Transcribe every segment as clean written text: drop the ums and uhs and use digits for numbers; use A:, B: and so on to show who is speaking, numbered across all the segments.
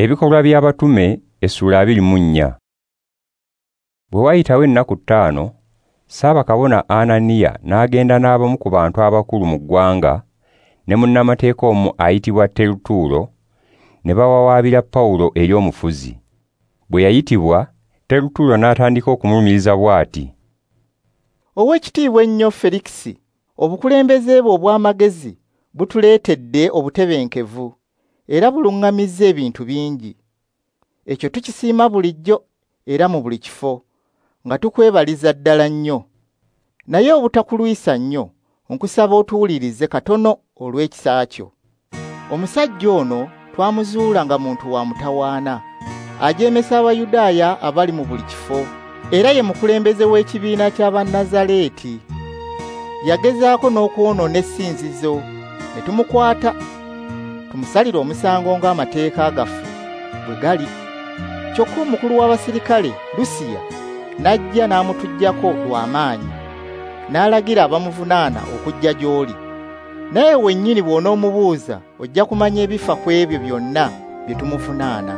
A: Ebikolwa by'Abatume essula 24. Bwe wayitawo ennaku 5, Ssaabakabona Ananiya n'agenda n'abamu ku bantu abakulu mu ggwanga ne munnamateeka omu ayitibwa Terutuulo, ne bawawaabira Pawulo eri omufuzi. Bwe yayitibwa, Terutuulo n'atandika okumulumiriza bw'ati:
B: Oweekitiibwa ennyo Felikisi, obukulembeze bwe obw'amagezi butuleetedde obutebenkevu era buluŋŋamizza ebintu bingi. Ekyo tukisiima bulijjo era mu buli kifo, nga tukwebaliza ddala nnyo. Naye obutakulwisa nnyo, nkusaba otuwulirize katono olw'ekisa kyo. Omusajja ono twamuzuula nga muntu wa mutawaana, ajeemesa Abayudaaya abali mu buli kifo, era ye mukulembeze w'ekibiina ky'Abannazaleeti. Yagezaako n'okwonoona essinzizo, ne tumukwata, tumusalire omusango ng'amateeka gaffe bwe gali. Kyokka omukulu w'abasirikale Lusiya n'ajja n'amutuggyako lw'amaanyi, n'alagira abamuvunaana okujja gy'oli. Naye wennyini bw'onoomubuuza ojja kumanya ebifa ku ebyo byonna bye tumuvunaana.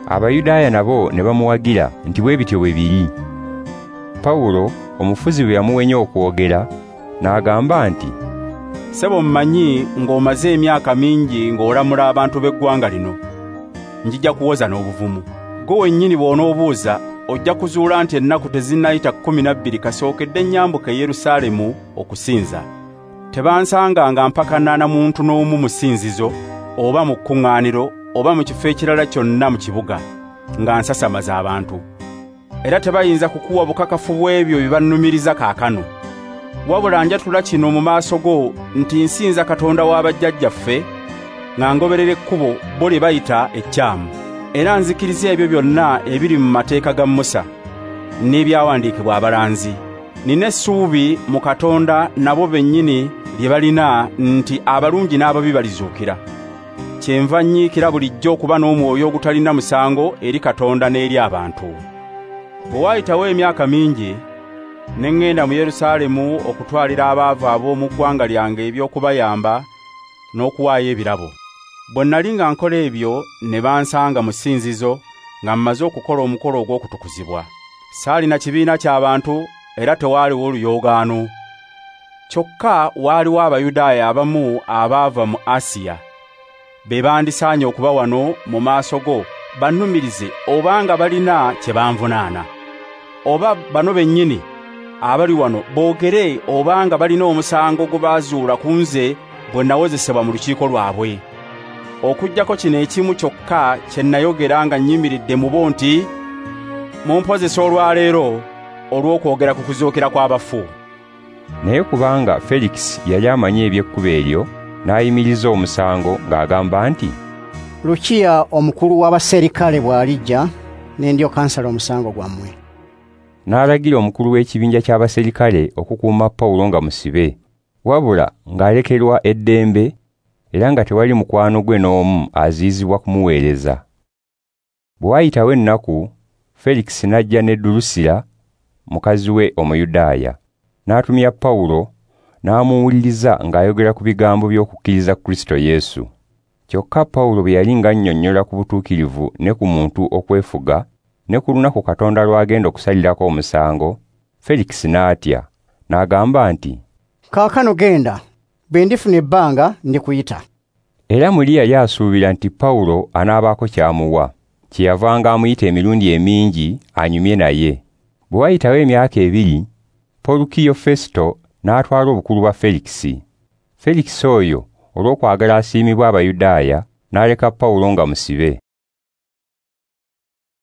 A: Abayudaaya nabo ne bamuwagira nti bwe bityo bwe biri. Pawulo omufuzi bwe yamuwenya okwogera, n'agamba nti,
C: Ssebo, mmanyi ng'omaze emyaka mingi ng'olamula abantu b'eggwanga lino. Njija kuwoza n'obuvumu. Ggwe wennyini bw'onoobuuza ojja kuzuula nti ennaku tezinnayita 12 kasookedde nnyambuka e Yerusaalemu okusinza. Tebansanganga mpakana na muntu n'omu mu ssinzizo oba mu kkuŋŋaaniro oba mu kifo ekirala kyonna mu kibuga, nga nsasamaza abantu. Era tebayinza kukuwa bukakafu bw'ebyo bye bannumiriza kaakano. Wabula njatula kino mu maaso go nti nsinza Katonda w'abajjajjaffe nga ngoberera ekkubo bo lye bayita ekyamu. Era nzikiriza ebyo byonna ebiri mu mateeka ga Musa n'ebyawandiikibwa abalanzi. Nina essuubi mu Katonda nabo bennyini lye balina nti abalungi n'ababi balizuukira. Kyenva nnyiikira bulijjo okuba n'omwoyo ogutalina musango eri Katonda n'eri abantu. Bwe waayitawo emyaka mingi, ne ŋŋenda mu Yerusaalemu okutwalira abaavu ab'omu ggwanga lyange eby'okubayamba n'okuwaayo ebirabo. Bwe nali nga nkola ebyo ne bansanga mu ssinzizo nga mmaze okukola omukolo ogw'okutukuzibwa. Saalina kibiina ky'abantu era tewaaliwo luyoogaano. Kyokka waaliwo Abayudaaya abamu abaava mu Asiya, be bandisaanye okuba wano mu maaso go bannumirize obanga balina kye banvunaana. Oba bano bennyini abali wano boogere obanga balina omusango gwe baazuula ku nze bwe nawozesebwa mu lukiiko lwabwe. Okuggyako kino ekimu kyokka kye nayogera nga nnyimiridde mu bo nti, mumpozesa olwaleero olw'okwogera ku kuzuukira kw'abafu.
A: Naye kubanga Felikisi yali amanyi eby'ekkubo eryo, n'ayimiriza omusango ng'agamba nti,
D: Lukiya omukulu w'abaserikale bw'alijja, ne ndyoka nsala omusango gwammwe.
A: N'alagira omukulu w'ekibinja ky'abaserikale okukuuma Pawulo nga musibe, wabula ng'alekerwa eddembe era nga tewali mukwano gwe n'omu aziyizibwa kumuweereza. Bwe wayitawo ennaku, Felikisi n'ajja ne Dulusira mukazi we Omuyudaaya, n'atumya Pawulo n'amuwuliriza ng'ayogera ku bigambo by'okukkiriza Kristo Yesu. Kyokka Pawulo bwe yali ng'annyonnyola ku butuukirivu ne ku muntu okwefuga ne ku lunaku Katonda lw'agenda okusalirako omusango, Felikisi n'atya, n'agamba nti,
D: Kaakano genda, bwe ndifuna ebbanga ndikuyita.
A: Era muli yali asuubira nti Pawulo anaabaako ky'amuwa, kyeyavanga amuyita emirundi emingi anyumye naye. Bwe wayitawo emyaka 2, Porukiyo Festo n'atwala obukulu bwa Felikisi. Felikisi oyo olw'okwagala asiimibwa Abayudaaya, n'aleka Pawulo nga musibe.